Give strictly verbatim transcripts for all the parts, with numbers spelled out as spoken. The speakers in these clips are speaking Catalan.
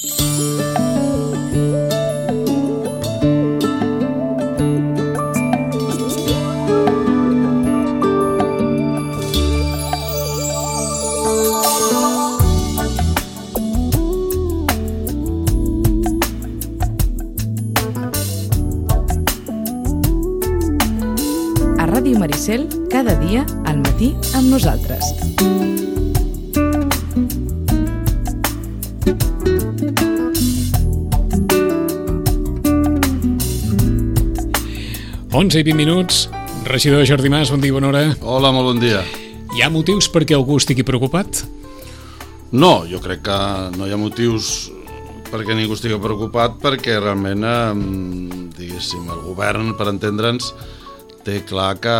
Ràdio Maricel, cada dia al matí amb nosaltres. onze i vint minuts. Regidor Jordi Mas, bon dia, bona hora. Hola, molt bon dia. Hi ha motius perquè algú estigui preocupat? No, jo crec que no hi ha motius perquè ningú estigui preocupat, perquè realment, eh, diguéssim, el govern, per entendre'ns, té clar que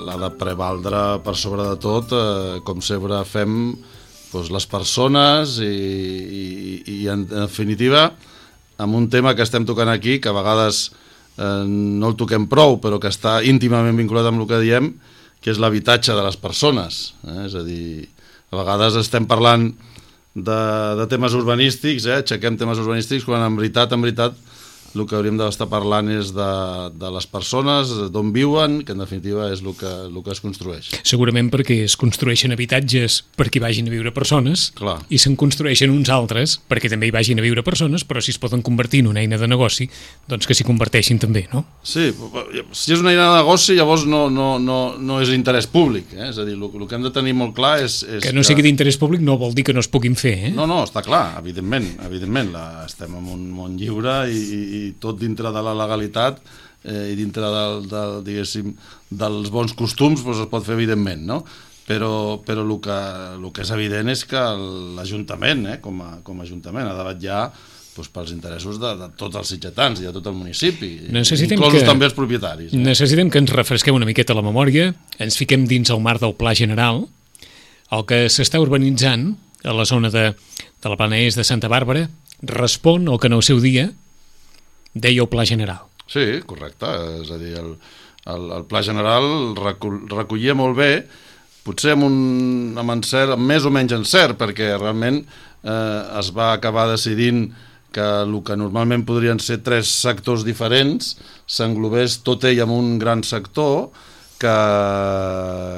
l'ha de prevaldre per sobre de tot, eh, com sempre fem, doncs, les persones i, i, i en definitiva amb un tema que estem tocant aquí, que a vegades eh, no el toquem prou, però que està íntimament vinculat amb el que diem, que és l'habitatge de les persones, eh? És a dir, a vegades estem parlant de, de temes urbanístics, eh? Aixequem temes urbanístics, quan en veritat, en veritat el que hauríem d'estar parlant és de, de les persones, d'on viuen, que en definitiva és el que, el que es construeix. Segurament perquè es construeixen habitatges perquè hi vagin a viure persones. Clar. I se'n construeixen uns altres perquè també hi vagin a viure persones, però si es poden convertir en una eina de negoci, doncs que s'hi converteixin també, no? Sí, si és una eina de negoci, llavors no, no, no, no és interès públic, eh? És a dir, el, el que hem de tenir molt clar és... és que no sigui d'interès públic no vol dir que no es puguin fer, eh? No, no, està clar, evidentment, evidentment, la, estem en un món lliure i, i, i tot dintre de la legalitat eh, i dintre del, del, diguéssim, dels bons costums, doncs es pot fer evidentment, no? Però, però el, que, el que és evident és que l'Ajuntament, eh, com, a, com a Ajuntament, ha de vetllar doncs, pels interessos de, de tots els sitgetans i de tot el municipi, necessitem inclosos que, també els propietaris. Eh? Necessitem que ens refresquem una miqueta la memòria, ens fiquem dins el marc del Pla General, el que s'està urbanitzant a la zona de, de la Plana Est de Santa Bàrbara respon al que en el seu dia deia el Pla General. Sí, correcte, és a dir, el, el, el Pla General recull, recollia molt bé, potser amb, un, amb, encert, amb més o menys encert, perquè realment eh, es va acabar decidint que el que normalment podrien ser tres sectors diferents s'englobés tot ell en un gran sector que,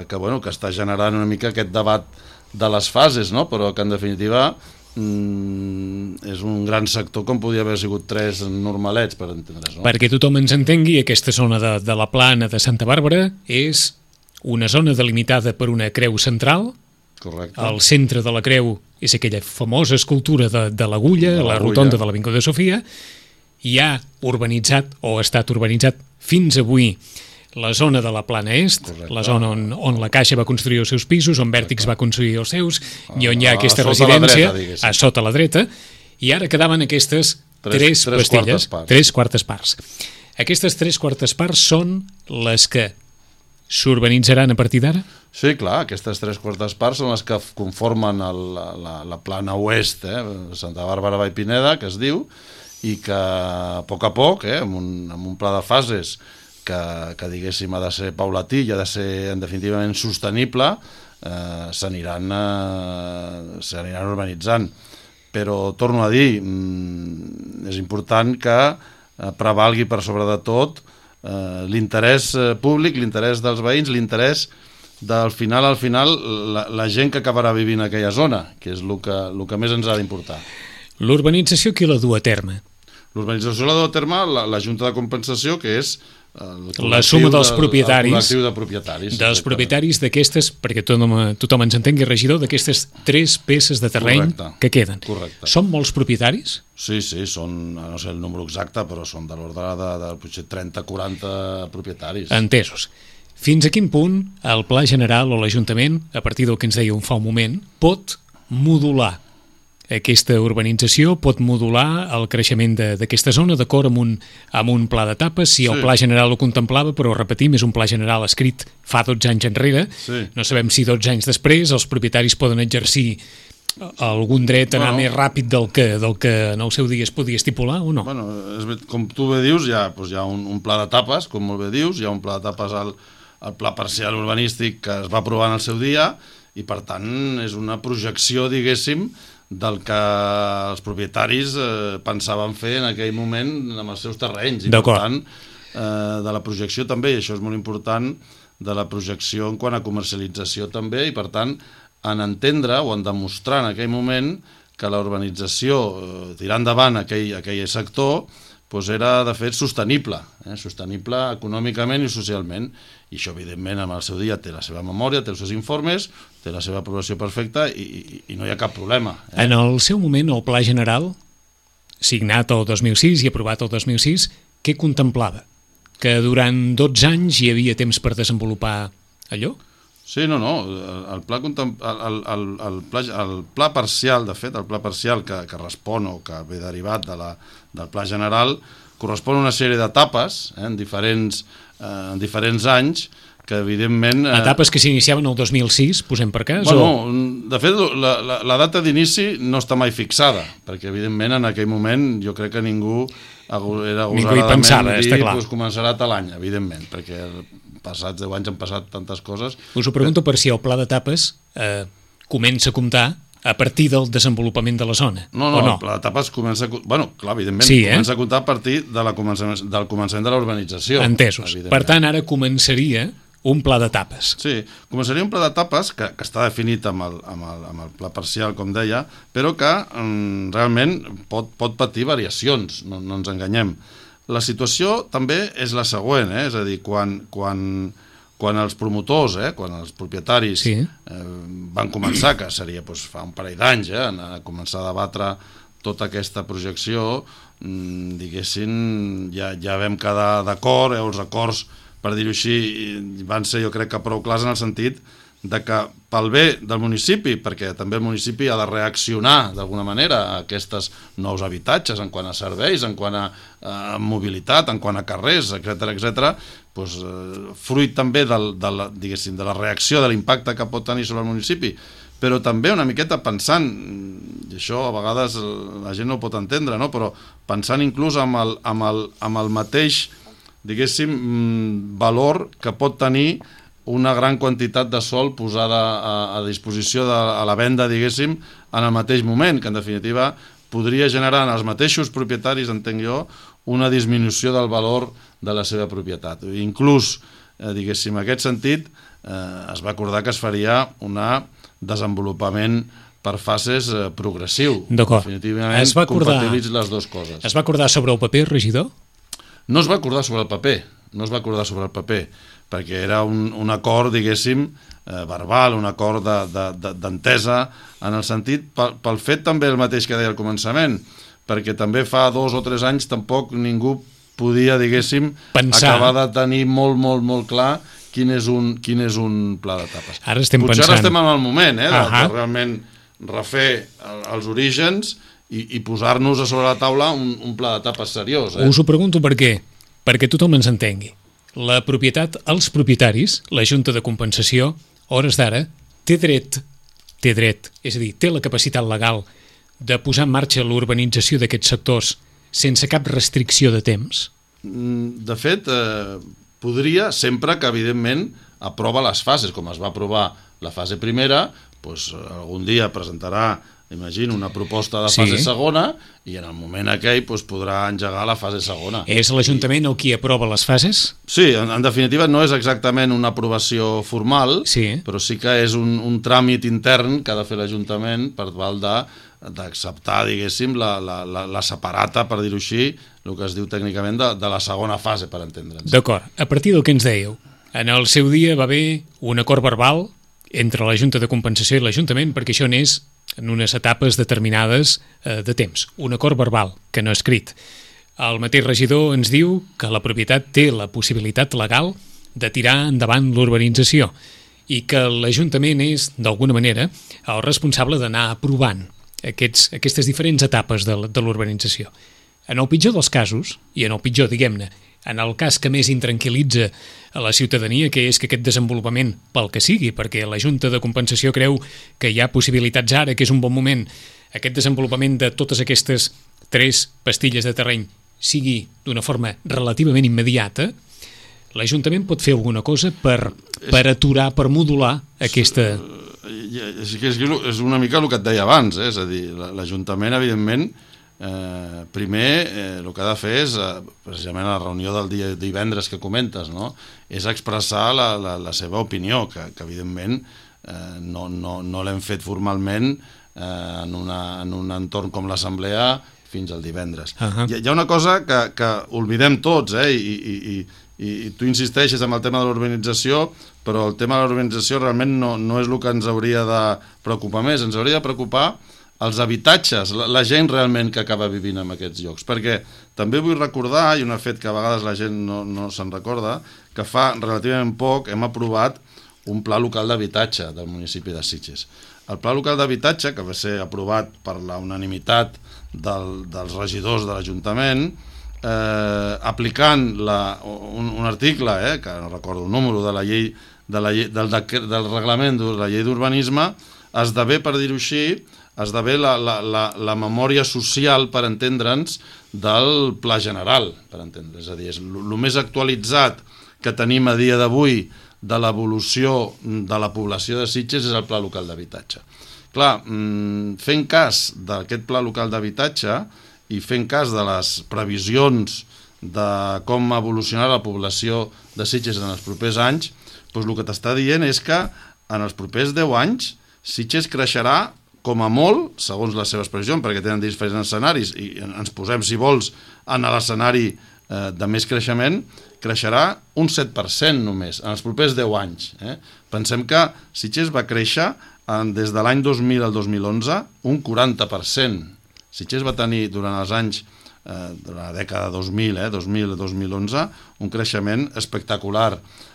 que, bueno, que està generant una mica aquest debat de les fases, no? Però que en definitiva Mm, és un gran sector com podia haver sigut tres normalets, per entendre's, no? Perquè tothom ens entengui, aquesta zona de, de la Plana de Santa Bàrbara és una zona delimitada per una creu central. Correcte. Al centre de la creu és aquella famosa escultura de, de l'agulla, la rotonda de l'Avinguda de Sofia. Hi ha urbanitzat o ha estat urbanitzat fins avui la zona de la Plana Est, correcte, la zona on, on la Caixa va construir els seus pisos, on Vèrtix va construir els seus, i on hi ha aquesta residència, a sota la dreta, i ara quedaven aquestes tres, tres, tres pastilles, quartes tres quartes parts. Aquestes tres quartes parts són les que s'urbanitzaran a partir d'ara? Sí, clar, aquestes tres quartes parts són les que conformen el, la, la Plana Oest, eh, Santa Bàrbara Vall Pineda, que es diu, i que a poc a poc, eh, amb, un, amb un pla de fases que, que diguéssim ha de ser paulatí i ha de ser en definitivament sostenible, eh, s'aniran eh, s'aniran urbanitzant. Però torno a dir, mm, és important que eh, prevalgui per sobre de tot eh, l'interès públic, l'interès dels veïns, l'interès del final al final la, la gent que acabarà vivint a aquella zona, que és el que, el que més ens ha d'importar. L'urbanització qui la du a terme? L'urbanització la du a terme la, la Junta de Compensació, que és la suma dels propietaris, el col·lectiu de propietaris, dels propietaris d'aquestes, perquè tothom, tothom ens entengui, regidor, d'aquestes tres peces de terreny, correcte, que queden. Correcte. Són molts propietaris? Sí, sí, són, no sé el número exacte, però són de l'ordre de, de, de potser trenta o quaranta propietaris. Entesos. Fins a quin punt el Pla General o l'Ajuntament, a partir del que ens deia un fa un moment, pot modular aquesta urbanització, pot modular el creixement d'aquesta zona d'acord amb, un, amb un pla d'etapes? Si el sí. Pla General ho contemplava, però repetim, és un pla general escrit fa dotze anys enrere, sí. No sabem si dotze anys després els propietaris poden exercir algun dret a anar bueno, més ràpid del que, del que en el seu dia es podia estipular o no? Bueno, és, com tu bé dius, hi ha, doncs hi ha un, un pla d'etapes, com molt bé dius, hi ha un pla d'etapes al, al pla parcial urbanístic que es va aprovar en el seu dia, i per tant és una projecció, diguéssim, del que els propietaris eh, pensaven fer en aquell moment amb els seus terrenys. I per tant, eh, de la projecció també, i això és molt important, de la projecció en quant a comercialització també, i per tant, en entendre o en demostrar en aquell moment que la urbanització, eh, tirar endavant aquell, aquell sector, doncs era, de fet, sostenible, eh? sostenible econòmicament i socialment. I això, evidentment, en el seu dia té la seva memòria, té els seus informes, té la seva aprovació perfecta i, i, i no hi ha cap problema. Eh? En el seu moment, el Pla General, signat el dos mil sis i aprovat el dos mil sis, què contemplava? Que durant dotze anys hi havia temps per desenvolupar allò? Sí, no, no. El pla, el, el, el, el, pla, el pla parcial, de fet, el pla parcial que, que respon o que ve derivat de la, del Pla General, correspon a una sèrie d'etapes eh, en, diferents, eh, en diferents anys, que evidentment... Eh... Etapes que s'iniciaven el dos mil sis, posem per cas? Bueno, o... de fet, la, la, la data d'inici no està mai fixada, perquè evidentment en aquell moment jo crec que ningú era agosaradament dir pues, començarà tal any, evidentment, perquè passats deu anys han passat tantes coses. Us ho pregunto per si el pla d'etapes eh, comença a comptar a partir del desenvolupament de la zona, no, no, o no? El pla d'etapes comença... Bueno, clar, evidentment, sí, eh? comença a comptar a partir de la començament, del començament de la urbanització. Entesos. Per tant, ara començaria un pla d'etapes. Sí, començaria un pla d'etapes que, que està definit amb el, amb, el, amb el pla parcial, com deia, però que mm, realment pot, pot patir variacions, no, no ens enganyem. La situació també és la següent, eh? És a dir, quan, quan, quan els promotors, eh? quan els propietaris sí. eh, van començar, que seria doncs, fa un parell d'anys, eh? a començar a debatre tota aquesta projecció, mm, diguéssim, ja, ja vam quedar d'acord, eh? Els acords, per dir-ho així, van ser jo crec que prou clars en el sentit de que pel bé del municipi, perquè també el municipi ha de reaccionar d'alguna manera a aquests nous habitatges, en quant a serveis, en quant a, a mobilitat, en quant a carrers, etcètera, etcètera, doncs, eh, fruit també del, de, la, diguéssim, de la reacció, de l'impacte que pot tenir sobre el municipi, però també una miqueta pensant, i això a vegades la gent no ho pot entendre, no? Però pensant inclús amb el, amb el, amb el mateix, diguéssim, valor que pot tenir una gran quantitat de sòl posada a, a disposició de, a la venda, diguéssim, en el mateix moment, que en definitiva podria generar en els mateixos propietaris, entenc jo, una disminució del valor de la seva propietat. Inclús, eh, diguéssim, en aquest sentit, eh, es va acordar que es faria un desenvolupament per fases eh, progressiu. D'acord. Definitivament compatibilitz les dues coses. Es va acordar sobre el paper, regidor? No es va acordar sobre el paper, no es va acordar sobre el paper, perquè era un, un acord, diguéssim, eh, verbal, un acord d'entesa, de, de, en el sentit, pel, pel fet també el mateix que deia al començament, perquè també fa dos o tres anys tampoc ningú podia, diguéssim, pensar. Acabar de tenir molt, molt, molt clar quin és un, quin és un pla d'etapes. Ara estem Potser pensant... ara estem en el moment, eh, de, de realment refer els orígens i, i posar-nos a sobre la taula un, un pla d'etapes seriós. Eh? Us ho pregunto per què, perquè tothom ens entengui. La propietat, els propietaris, la Junta de Compensació, hores d'ara, té dret, té dret, és a dir, té la capacitat legal de posar en marxa l'urbanització d'aquests sectors sense cap restricció de temps? De fet, eh, podria, sempre que, evidentment, aprova les fases, com es va aprovar la fase primera, doncs algun dia presentarà, imagino, una proposta de fase sí. segona i en el moment aquell doncs, podrà engegar la fase segona. És l'Ajuntament el qui aprova les fases? Sí, en, en definitiva no és exactament una aprovació formal, sí. però sí que és un, un tràmit intern que ha de fer l'Ajuntament per tal de d'acceptar, diguéssim, la, la, la, la separata, per dir-ho així, el que es diu tècnicament de, de la segona fase, per entendre'ns. D'acord. A partir del que ens dèieu, en el seu dia va haver un acord verbal entre la Junta de Compensació i l'Ajuntament perquè això anés en unes etapes determinades eh, de temps. Un acord verbal, que no escrit. El mateix regidor ens diu que la propietat té la possibilitat legal de tirar endavant l'urbanització i que l'Ajuntament és, d'alguna manera, el responsable d'anar aprovant aquests, aquestes diferents etapes de, de l'urbanització. En el pitjor dels casos, i en el pitjor, diguem-ne, en el cas que més intranquil·litza a la ciutadania, que és que aquest desenvolupament, pel que sigui, perquè la Junta de Compensació creu que hi ha possibilitats ara, que és un bon moment, aquest desenvolupament de totes aquestes tres pastilles de terreny sigui d'una forma relativament immediata, l'Ajuntament pot fer alguna cosa per, per aturar, per modular aquesta... és, és, és una mica el que et deia abans, eh? És a dir, l'Ajuntament, evidentment, eh, primer eh, el que ha de fer és, eh, precisament a la reunió del dia divendres que comentes, no? És expressar la, la, la seva opinió, que, que evidentment eh, no, no, no l'hem fet formalment eh, en, una, en un entorn com l'Assemblea fins al divendres. Uh-huh. Hi, hi ha una cosa que, que oblidem tots, eh? I, i, i, i tu insisteixes en el tema de l'urbanització, però el tema de l'urbanització realment no, no és el que ens hauria de preocupar més, ens hauria de preocupar els habitatges, la, la gent realment que acaba vivint en aquests llocs, perquè també vull recordar, i un fet que a vegades la gent no, no se'n recorda, que fa relativament poc hem aprovat un pla local d'habitatge del municipi de Sitges. El pla local d'habitatge, que va ser aprovat per la unanimitat del, dels regidors de l'Ajuntament, eh, aplicant la, un, un article, eh, que no recordo el número, de la llei, de la llei del, del reglament de la llei d'urbanisme, esdevé, per dir-ho així, esdevé la, la, la, la memòria social, per entendre'ns, del pla general, per entendre. És a dir, és el més actualitzat que tenim a dia d'avui de l'evolució de la població de Sitges és el pla local d'habitatge. Clar, fent cas d'aquest pla local d'habitatge i fent cas de les previsions de com evolucionarà la població de Sitges en els propers anys, doncs el que t'està dient és que en els propers deu anys Sitges creixerà com a molt, segons les seves previsions, perquè tenen diferents escenaris, i ens posem, si vols, en l'escenari eh, de més creixement, creixerà un set per cent només, en els propers deu anys. Eh? Pensem que Sitges va créixer en, des de l'any dos mil al dos mil onze un quaranta per cent. Sitges va tenir durant els anys, eh, durant la dècada dos mil, eh, dos mil a dos mil onze, un creixement espectacular.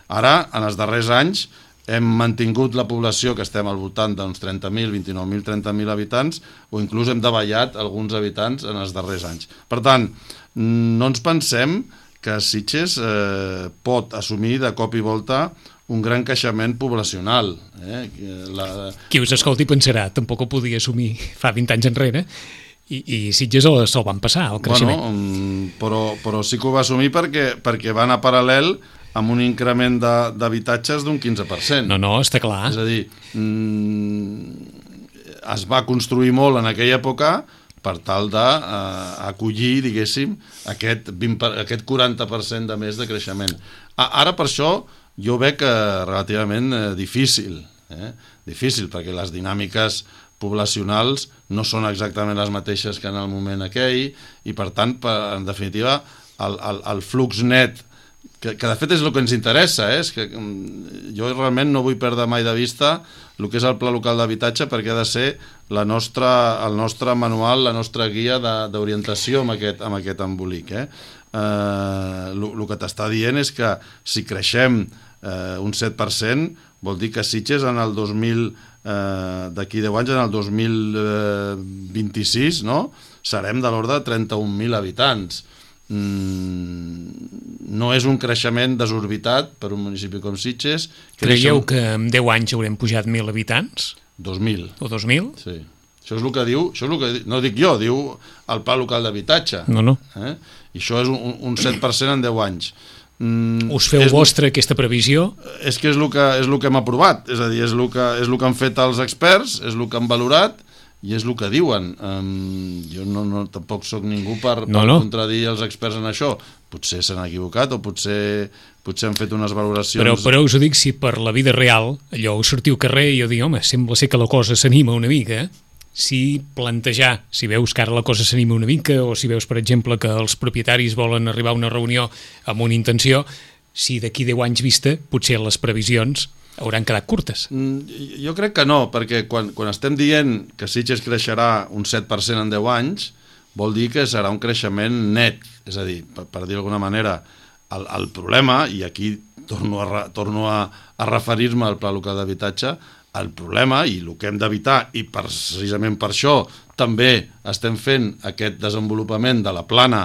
Ara, en els darrers anys, hem mantingut la població, que estem al voltant d'uns trenta mil, vint-i-nou mil, trenta mil habitants, o inclús hem davallat alguns habitants en els darrers anys. Per tant, no ens pensem que Sitges eh, pot assumir de cop i volta un gran creixement poblacional. Eh? La... Qui us escolti pensarà, tampoc ho podia assumir fa vint anys enrere, i, i Sitges se'l van passar, el creixement. Bueno, però, però sí que ho va assumir perquè, perquè va anar paral·lel amb un increment d'habitatges d'un quinze per cent. No, no, està clar. És a dir, mm, es va construir molt en aquella època per tal d'acollir, eh, diguéssim, aquest, vint, aquest quaranta per cent de més de creixement. Ara, per això, jo veig que relativament eh, difícil, eh? difícil, perquè les dinàmiques poblacionals no són exactament les mateixes que en el moment aquell, i per tant, per, en definitiva, el, el, el flux net, que, que de fet és el que ens interessa, eh? És que jo realment no vull perdre mai de vista el que és el pla local d'habitatge, perquè ha de ser la nostra, el nostre manual, la nostra guia d'orientació amb aquest, amb aquest embolic. Eh? Eh, el que t'està dient és que si creixem eh, un set per cent, vol dir que Sitges en el dos mil, eh, d'aquí deu anys, en el dos mil vint-i-sis, no? Serem de l'ordre de trenta-un mil habitants. Mm, no és un creixement desorbitat per un municipi com Sitges. Creieu que en deu anys haurem pujat mil habitants? dos mil. O dos mil? Sí. Això és el que diu, això és el que, no dic jo, diu el pla local d'habitatge. No, no. Eh? I això és un, un set per cent en deu anys. Mm, Us feu és, vostra aquesta previsió? És que és el que, és el que hem aprovat, és a dir, és el que, és el que han fet els experts, és el que han valorat, i és el que diuen. Um, jo no, no, tampoc sóc ningú per, no, per no. contradir els experts en això. Potser s'han equivocat o potser, potser han fet unes valoracions... Però, però us ho dic, si per la vida real allò us sortiu al carrer i jo dic, home, sembla ser que la cosa s'anima una mica, si plantejar, si veus que ara la cosa s'anima una mica, o si veus, per exemple, que els propietaris volen arribar a una reunió amb una intenció, si d'aquí deu anys vista, potser les previsions hauran quedat curtes. Jo crec que no, perquè quan, quan estem dient que Sitges creixerà un set per cent en deu anys, vol dir que serà un creixement net. És a dir, per, per dir d'alguna manera, el, el problema, i aquí torno a, torno a, a referir-me al pla local d'habitatge, el problema, i el que hem d'evitar, i precisament per això també estem fent aquest desenvolupament de la plana,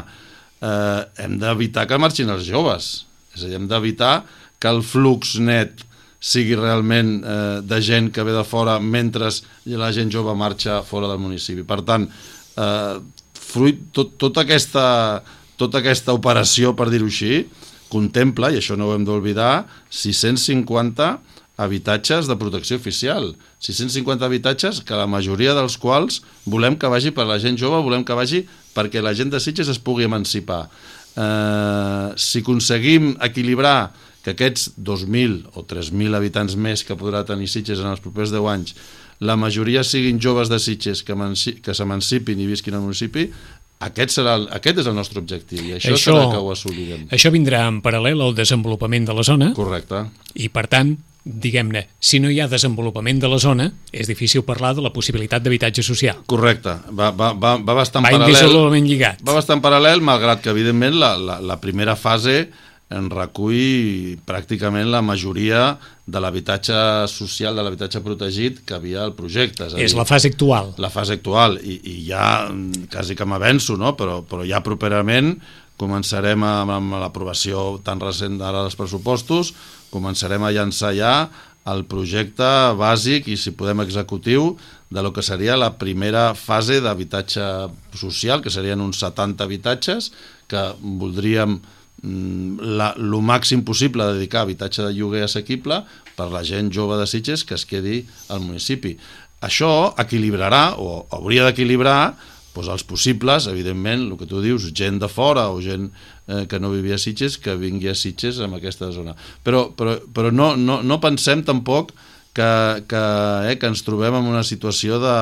eh, hem d'evitar que marxin els joves. És a dir, hem d'evitar que el flux net sigui realment eh, de gent que ve de fora mentre la gent jove marxa fora del municipi. Per tant, eh, fruit, tot, tota, aquesta, tota aquesta operació, per dir-ho així, contempla, i això no ho hem d'oblidar, sis-cents cinquanta habitatges de protecció oficial. sis-cents cinquanta habitatges que la majoria dels quals volem que vagi per la gent jove, volem que vagi perquè la gent de Sitges es pugui emancipar. Eh, si aconseguim equilibrar que aquests dos mil o tres mil habitants més que podrà tenir Sitges en els propers deu anys, la majoria siguin joves de Sitges que, que s'emancipin i visquin al municipi, aquest, serà el, aquest és el nostre objectiu i això, això serà que ho assolirem. Això vindrà en paral·lel al desenvolupament de la zona. Correcte. I per tant, diguem-ne, si no hi ha desenvolupament de la zona, és difícil parlar de la possibilitat d'habitatge social. Correcte, va, va, va, va bastant va paral·lel. Va indissolublement lligat. Va bastant paral·lel, malgrat que, evidentment, la, la, la primera fase en recull pràcticament la majoria de l'habitatge social, de l'habitatge protegit que havia al projecte. És, és dir, la fase actual. La fase actual, i, i ja quasi que m'avenço, no? però, però ja properament començarem amb, amb l'aprovació tan recent d'ara dels pressupostos, començarem a llançar ja el projecte bàsic i, si podem, executiu de lo que seria la primera fase d'habitatge social, que serien uns setanta habitatges que voldríem la, lo màxim possible de dedicar a habitatge de lloguer assequible per la gent jove de Sitges que es quedi al municipi. Això equilibrarà, o hauria d'equilibrar, doncs els possibles, evidentment, el que tu dius, gent de fora o gent eh, que no vivia a Sitges, que vingui a Sitges en aquesta zona. Però, però, però no, no, no pensem tampoc que, que, eh, que ens trobem en una situació de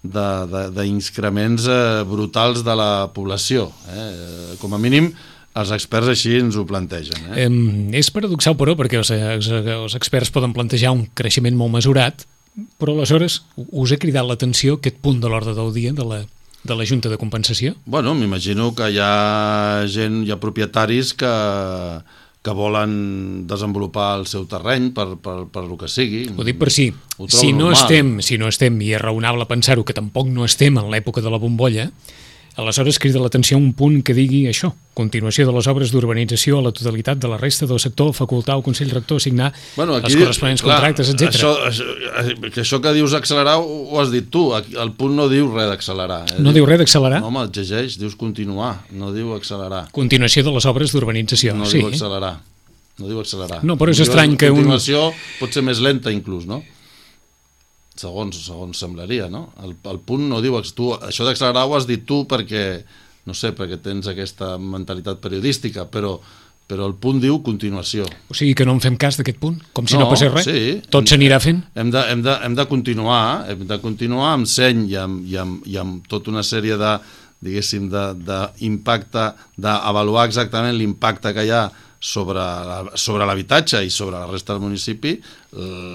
d'increments eh, brutals de la població. Eh? Com a mínim, els experts així ens ho plantegen. Eh? Eh, és paradoxal, però, perquè els, els experts poden plantejar un creixement molt mesurat, però aleshores us ha cridat l'atenció aquest punt de l'ordre del dia de la, de la Junta de Compensació? Bueno, m'imagino que hi ha gent, hi ha propietaris que, que volen desenvolupar el seu terreny per, per, per lo que sigui. Ho dic per si, si no, estem, si no estem, i és raonable pensar-ho, que tampoc no estem en l'època de la bombolla, aleshores crida l'atenció un punt que digui això, continuació de les obres d'urbanització a la totalitat de la resta del sector, facultar al Consell Rector a signar bueno, aquí, els corresponents clar, contractes, etcètera. Això, això, que això que dius accelerar ho has dit tu, el punt no diu res d'accelerar. Eh? No diu res d'accelerar? No, home, et llegeix, dius continuar, no diu accelerar. Continuació de les obres d'urbanització, no sí. No diu accelerar, no diu accelerar. No, però és estrany que... Continuació un... pot ser més lenta inclús, no? Segons, segons semblaria, no? El, el punt no diu... Tu, això d'accelerar ho has dit tu perquè, no sé, perquè tens aquesta mentalitat periodística, però, però el punt diu continuació. O sigui que no en fem cas d'aquest punt? Com si no, no passés res? Sí. Tot s'anirà fent? Hem de, hem, de, hem de continuar, hem de continuar amb seny i amb, i amb, i amb tota una sèrie de, diguéssim, d'impacte, d'avaluar exactament l'impacte que hi ha sobre, la, sobre l'habitatge i sobre la resta del municipi,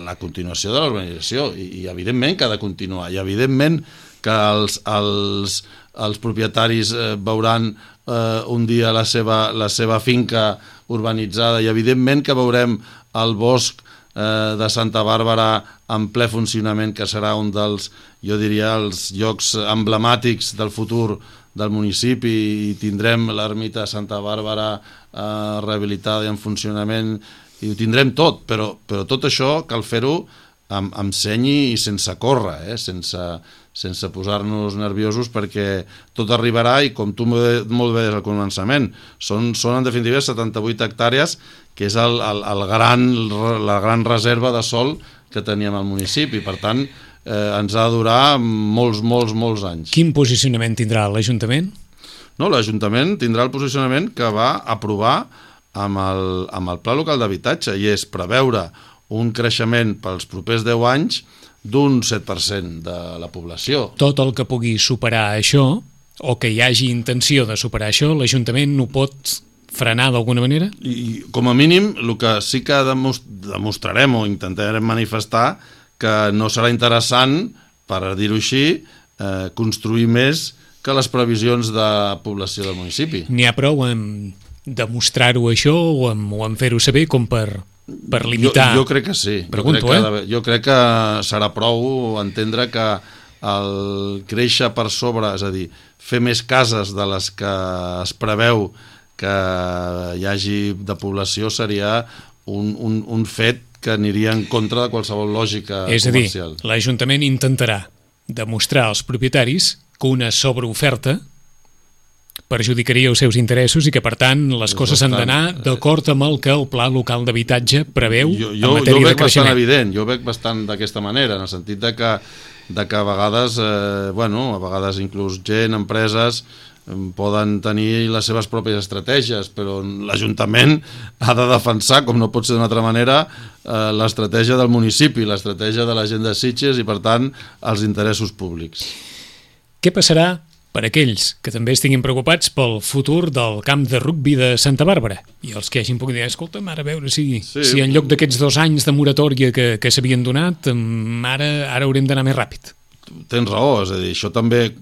la continuació de l'urbanització, i, i evidentment que ha de continuar, i evidentment que els, els, els propietaris eh, veuran eh, un dia la seva, la seva finca urbanitzada, i evidentment que veurem el bosc eh, de Santa Bàrbara en ple funcionament, que serà un dels, jo diria, els llocs emblemàtics del futur del municipi, i tindrem l'ermita de Santa Bàrbara eh, rehabilitada i en funcionament, i ho tindrem tot, però, però tot això cal fer-ho amb, amb seny i sense córrer, eh? sense, sense posar-nos nerviosos, perquè tot arribarà, i com tu molt bé des del començament, són, són en definitiva setanta-vuit hectàrees, que és el, el, el gran, la gran reserva de sòl que teníem al municipi. Per tant, eh, ens ha de durar molts, molts, molts anys. Quin posicionament tindrà l'Ajuntament? No, l'Ajuntament tindrà el posicionament que va aprovar amb el, amb el Pla Local d'Habitatge, i és preveure un creixement pels propers deu anys d'un set per cent de la població. Tot el que pugui superar això, o que hi hagi intenció de superar això, l'Ajuntament no pot frenar d'alguna manera? I, com a mínim, el que sí que demostrarem o intentarem manifestar, que no serà interessant, per dir-ho així, eh, construir més que les previsions de població del municipi. N'hi ha prou en demostrar-ho això o en, o en fer-ho saber com per, per limitar? Jo, jo crec que sí. Pregunto, jo crec eh? que, jo crec que serà prou entendre que el créixer per sobre, és a dir, fer més cases de les que es preveu que hi hagi de població, seria un, un, un fet que aniria en contra de qualsevol lògica és comercial. És a dir, l'Ajuntament intentarà demostrar als propietaris que una sobreoferta perjudicaria els seus interessos i que, per tant, les És coses han bastant- d'anar d'acord amb el que el Pla Local d'Habitatge preveu jo, en jo, jo matèria de veig bastant creixement. evident, jo veig bastant d'aquesta manera, en el sentit de que, de que a vegades, eh, bueno, a vegades inclús gent, empreses, eh, poden tenir les seves pròpies estratègies, però l'Ajuntament ha de defensar, com no pot ser d'una altra manera, eh, l'estratègia del municipi, l'estratègia de la gent de Sitges i, per tant, els interessos públics. Què passarà per aquells que també estiguin preocupats pel futur del camp de rugbi de Santa Bàrbara i els que hagin pogut dir, escolta, ara a veure si, Sí. si en lloc d'aquests dos anys de moratòria que, que s'havien donat, mm, ara, ara haurem d'anar més ràpid. Tens raó, és a dir, això també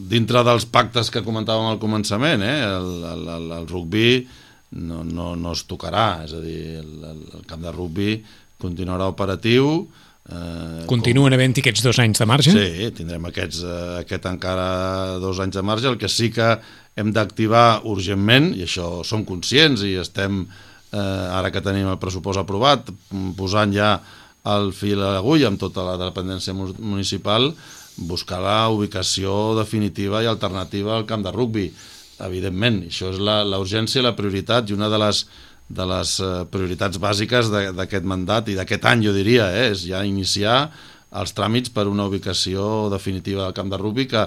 dintre dels pactes que comentàvem al començament, eh, el, el, el, el rugbi no, no, no es tocarà, és a dir, el, el camp de rugbi continuarà operatiu. Eh, Continuen com... havent-hi aquests dos anys de marge? Sí, tindrem aquests, eh, aquest encara dos anys de marge. El que sí que hem d'activar urgentment, i això som conscients i estem, eh, ara que tenim el pressupost aprovat, posant ja el fil a l'agulla amb tota la dependència municipal, buscar la ubicació definitiva i alternativa al camp de rugbi. Evidentment, això és la, la urgència i la prioritat, i una de les de les prioritats bàsiques d'aquest mandat i d'aquest any, jo diria, eh, és ja iniciar els tràmits per una ubicació definitiva del camp de rugbi que,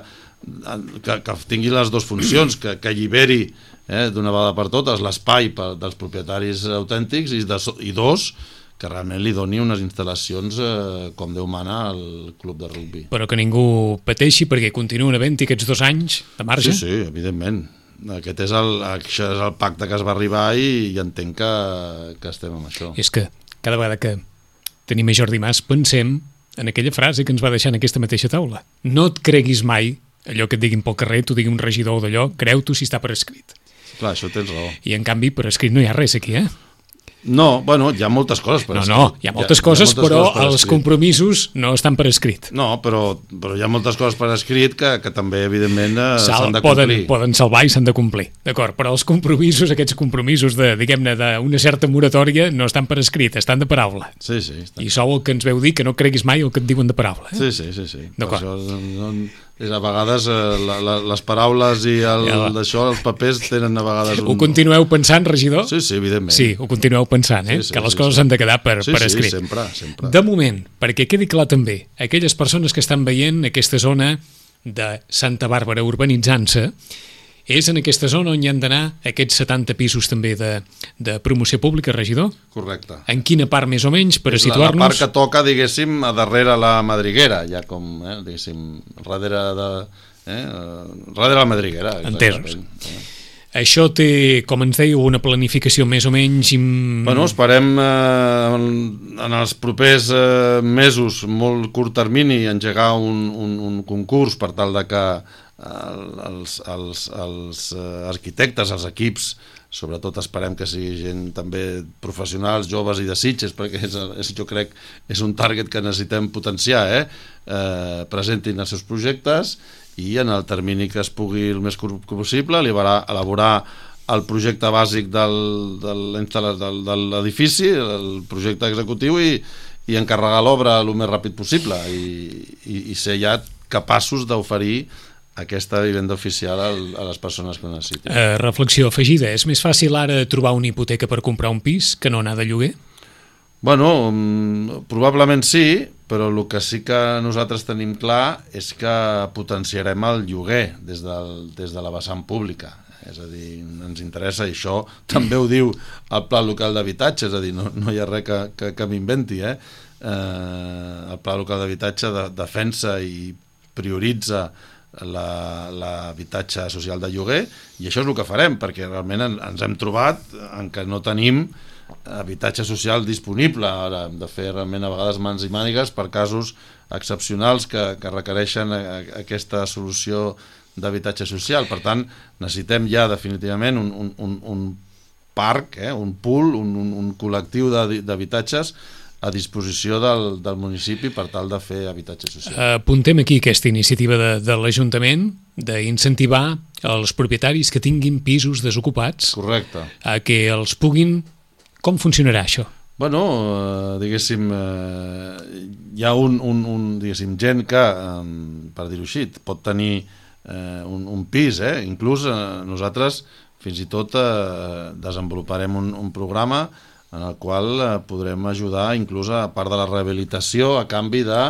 que, que tingui les dues funcions, que, que alliberi eh, d'una vegada per totes l'espai dels propietaris autèntics i, de, i dos, que realment li doni unes instal·lacions eh, com Déu mana al club de rugbi. Però que ningú pateixi perquè continuen havent-hi aquests dos anys de marge? Sí, sí, evidentment. Aquest és el, això és el pacte que es va arribar i, i entenc que, que estem amb això. És que cada vegada que tenim a Jordi Mas pensem en aquella frase que ens va deixar en aquesta mateixa taula. No et creguis mai allò que et diguin pel carrer, t'ho digui un regidor d'allò, creu-t'ho si està per escrit. Clar, això tens raó. I en canvi per escrit no hi ha res aquí, eh? No, bueno, hi ha moltes coses per no, escrit. No, hi ha moltes hi ha, coses, hi ha moltes però coses per els escrit. compromisos no estan per escrit. No, però, però hi ha moltes coses per escrit que, que també, evidentment, eh, Sal, s'han de poden, complir. poden salvar i s'han de complir, d'acord, però els compromisos, aquests compromisos de, diguem-ne, d'una certa moratòria no estan per escrit, estan de paraula. Sí, sí. Està. I sou el que ens veu dir que no creguis mai el que et diuen de paraula. Eh? Sí, sí, sí. sí. D'acord. Això, no, és, a vegades eh, la, la, les paraules i el, Ja d'això, els papers tenen a vegades un... Ho continueu pensant, regidor? Sí, sí, evidentment. Sí, ho continueu pensant, eh? Sí, sí, que les sí, coses sí. han de quedar per, Sí, per sí, escrit. sempre, sempre. De moment, perquè quedi clar també, aquelles persones que estan veient aquesta zona de Santa Bàrbara urbanitzant-se, és en aquesta zona on hi han d'anar aquests setanta pisos també de, de promoció pública, regidor? Correcte. En quina part més o menys, per a És la, la situar-nos? part que toca, diguéssim, a darrere la madriguera, ja com, eh, diguéssim, darrere de... Eh, darrere la madriguera. Entesos. Eh. Això té, com ens dèieu, una planificació més o menys... Im... Bueno, esperem eh, en, en els propers eh, mesos, molt curt termini, engegar un, un, un concurs per tal de que eh, els, els, els eh, arquitectes, els equips, sobretot esperem que sigui gent també professionals, joves i de Sitges, perquè és, és, jo crec és un target que necessitem potenciar, eh? Eh, presentin els seus projectes i en el termini que es pugui el més curt possible elaborar, elaborar el projecte bàsic del, del, del, de l'edifici, el projecte executiu i, i encarregar l'obra el més ràpid possible i, i, i ser ja capaços d'oferir aquesta vivenda oficial a les persones que ho necessiten. Eh, reflexió afegida, és més fàcil ara trobar una hipoteca per comprar un pis que no anar de lloguer? Bueno, probablement sí, però el que sí que nosaltres tenim clar és que potenciarem el lloguer des, del, des de la vessant pública. És a dir, ens interessa, i això també ho diu el Pla Local d'Habitatge, és a dir, no, no hi ha res que, que, que m'inventi, eh? Eh, el Pla Local d'Habitatge de, defensa i prioritza l'habitatge social de lloguer, i això és el que farem, perquè realment en, ens hem trobat en què no tenim habitatge social disponible. Ara hem de fer realment a vegades mans i mànigues per casos excepcionals que, que requereixen a, a aquesta solució d'habitatge social. Per tant, necessitem ja definitivament un, un, un, un parc, eh, un pool, un, un, un col·lectiu d'habitatges a disposició del, del municipi per tal de fer habitatge social. Apuntem aquí aquesta iniciativa de, de l'Ajuntament d'incentivar els propietaris que tinguin pisos desocupats. Correcte. A que els puguin... Com funcionarà això? Bueno, eh, diguéssim, eh, hi ha un, un, un, diguéssim, gent que, eh, per dir-ho així, pot tenir eh, un, un pis, eh? Inclús eh, nosaltres fins i tot eh, desenvoluparem un, un programa en el qual eh, podrem ajudar inclús a part de la rehabilitació a canvi de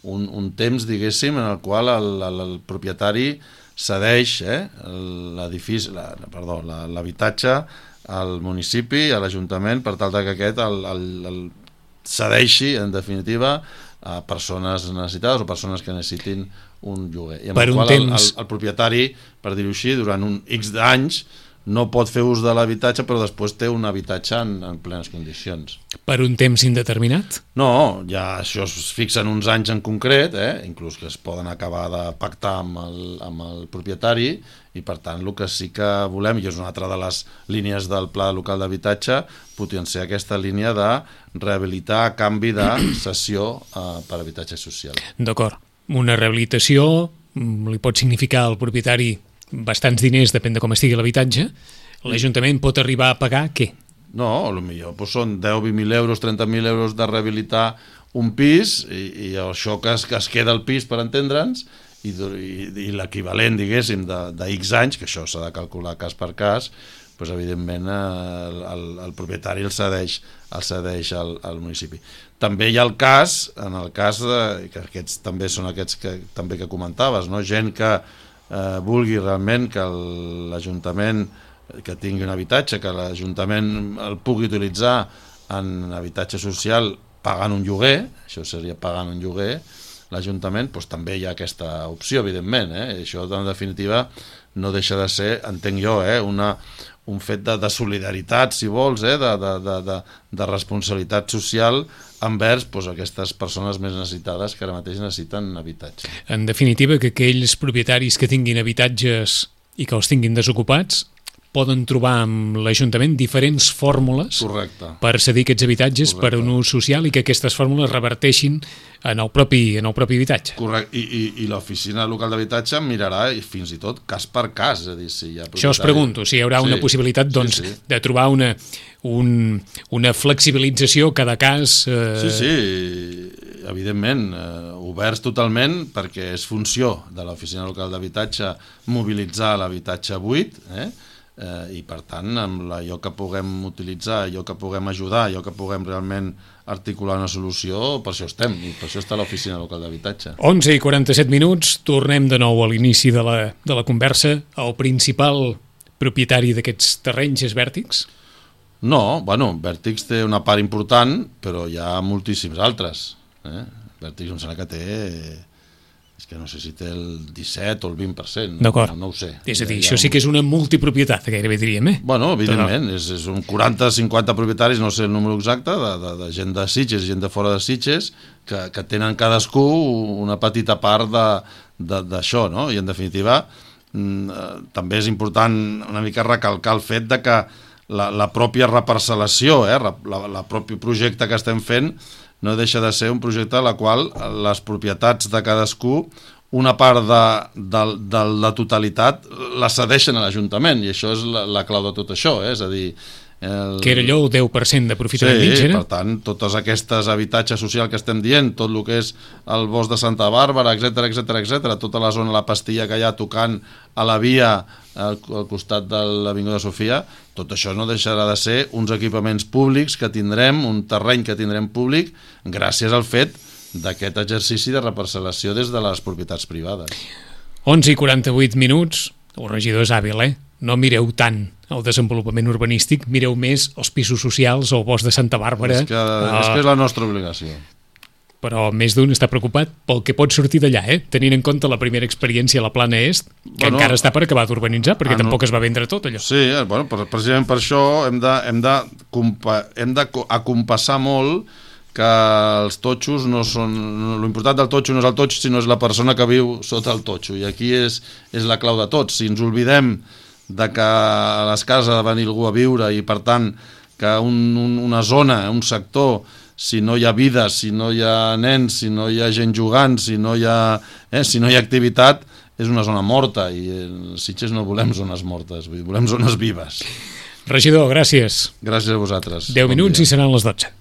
un, un temps, diguéssim, en el qual el, el, el propietari cedeix eh, l'edifici, la, perdó, l'habitatge al municipi, a l'Ajuntament, per tal que aquest el, el, el cedeixi, en definitiva, a persones necessitades o persones que necessitin un lloguer. I amb per el un qual temps... el, el, el propietari, per dir-ho així, durant un X d'anys no pot fer ús de l'habitatge, però després té un habitatge en, en plenes condicions. Per un temps indeterminat? No, ja això es fixa en uns anys en concret, eh? Inclús que es poden acabar de pactar amb el, amb el propietari, i per tant el que sí que volem, i és una altra de les línies del Pla Local d'Habitatge, potenciar aquesta línia de rehabilitar a canvi de cessió eh, per habitatge social. D'acord. Una rehabilitació li pot significar al propietari bastants diners, depèn de com estigui l'habitatge. L'Ajuntament pot arribar a pagar què? No, potser doncs són deu, vint mil euros, trenta mil euros de rehabilitar un pis, i, i això que es, que es queda el pis, per entendre'ns, i, i, i l'equivalent, diguéssim, de, de X anys, que això s'ha de calcular cas per cas, doncs evidentment el, el, el propietari el cedeix, el cedeix al, al municipi. També hi ha el cas, en el cas de, que aquests també són aquests que també que comentaves, no? Gent que eh, vulgui realment que l'Ajuntament que tingui un habitatge, que l'Ajuntament el pugui utilitzar en habitatge social pagant un lloguer, això seria pagant un lloguer, l'Ajuntament, doncs també hi ha aquesta opció, evidentment, eh? Això en definitiva no deixa de ser, entenc jo, eh? Una, un fet de, de solidaritat, si vols, eh? de, de, de, de, de responsabilitat social envers doncs, aquestes persones més necessitades que ara mateix necessiten habitatge. En definitiva, que aquells propietaris que tinguin habitatges i que els tinguin desocupats poden trobar amb l'Ajuntament diferents fórmules Correcte. Per cedir aquests habitatges Correcte. Per un ús social i que aquestes fórmules reverteixin en el propi, en el propi habitatge. Correcte, i, i, i l'oficina local d'habitatge mirarà i fins i tot cas per cas, és a dir, si hi ha propietari... Això us pregunto, si hi haurà sí, una possibilitat doncs, sí, sí. de trobar una, un, una flexibilització cada cas... Eh... Sí, sí, evidentment, eh, oberts totalment, perquè és funció de l'oficina local d'habitatge mobilitzar l'habitatge buit, eh? Eh, i per tant amb allò que puguem utilitzar, allò que puguem ajudar, allò que puguem realment articular una solució, per això estem i per això està l'oficina local d'habitatge. onze i quaranta-set minuts, tornem de nou a l'inici de la, de la conversa. El principal propietari d'aquests terrenys és Vèrtix? No, bueno, Vèrtix té una part important, però hi ha moltíssims altres, eh? Vèrtix em sembla que té... és que no sé si té el disset o el vint per cent, no, D'acord. no ho sé. És a dir, això sí que és una multipropietat, gairebé diríem, eh? Bueno, evidentment, és, és un quaranta cinquanta propietaris, no sé el número exacte, de, de, de gent de Sitges, gent de fora de Sitges, que, que tenen cadascú una petita part d'això, no? I en definitiva, també és important una mica recalcar el fet de que la, la pròpia reparcel·lació, eh, la, la propi projecte que estem fent, no deixa de ser un projecte en la qual les propietats de cadascú, una part de, de, de la totalitat la cedeixen a l'Ajuntament, i això és la, la clau de tot això, eh? És a dir... El... Que era allò el deu per cent d'aprofitament sí, mitjà? Per tant, totes aquestes habitatges socials que estem dient, tot el que és el bosc de Santa Bàrbara, etcètera, etcètera, etcètera, tota la zona, la pastilla que hi ha tocant a la via al, al costat de l'Avinguda Sofia, tot això no deixarà de ser uns equipaments públics que tindrem, un terreny que tindrem públic, gràcies al fet d'aquest exercici de reparcel·lació des de les propietats privades. onze i quaranta-vuit minuts, el regidor és hàbil, eh? No mireu tant el desenvolupament urbanístic, mireu més els pisos socials o el bosc de Santa Bàrbara. És que, uh, és que és la nostra obligació. Però més d'un està preocupat pel que pot sortir d'allà, eh? Tenint en compte la primera experiència a la Plana Est, que bueno, encara està per acabar d'urbanitzar, perquè ah, no. tampoc es va vendre tot allò. Sí, bueno, precisament per això hem de, hem de, compa, hem de acompassar molt que els totxos no són... L'important del totxo no és el totxo, sinó és la persona que viu sota el totxo, i aquí és, és la clau de tot. Si ens oblidem de que a les cases ha de venir algú a viure i per tant que un, un, una zona, un sector, si no hi ha vida, si no hi ha nens, si no hi ha gent jugant, si no hi ha, eh, si no hi ha activitat, és una zona morta, i els Sitges no volem zones mortes, volem zones vives. Regidor, gràcies. Gràcies a vosaltres. deu minuts i seran les dotze.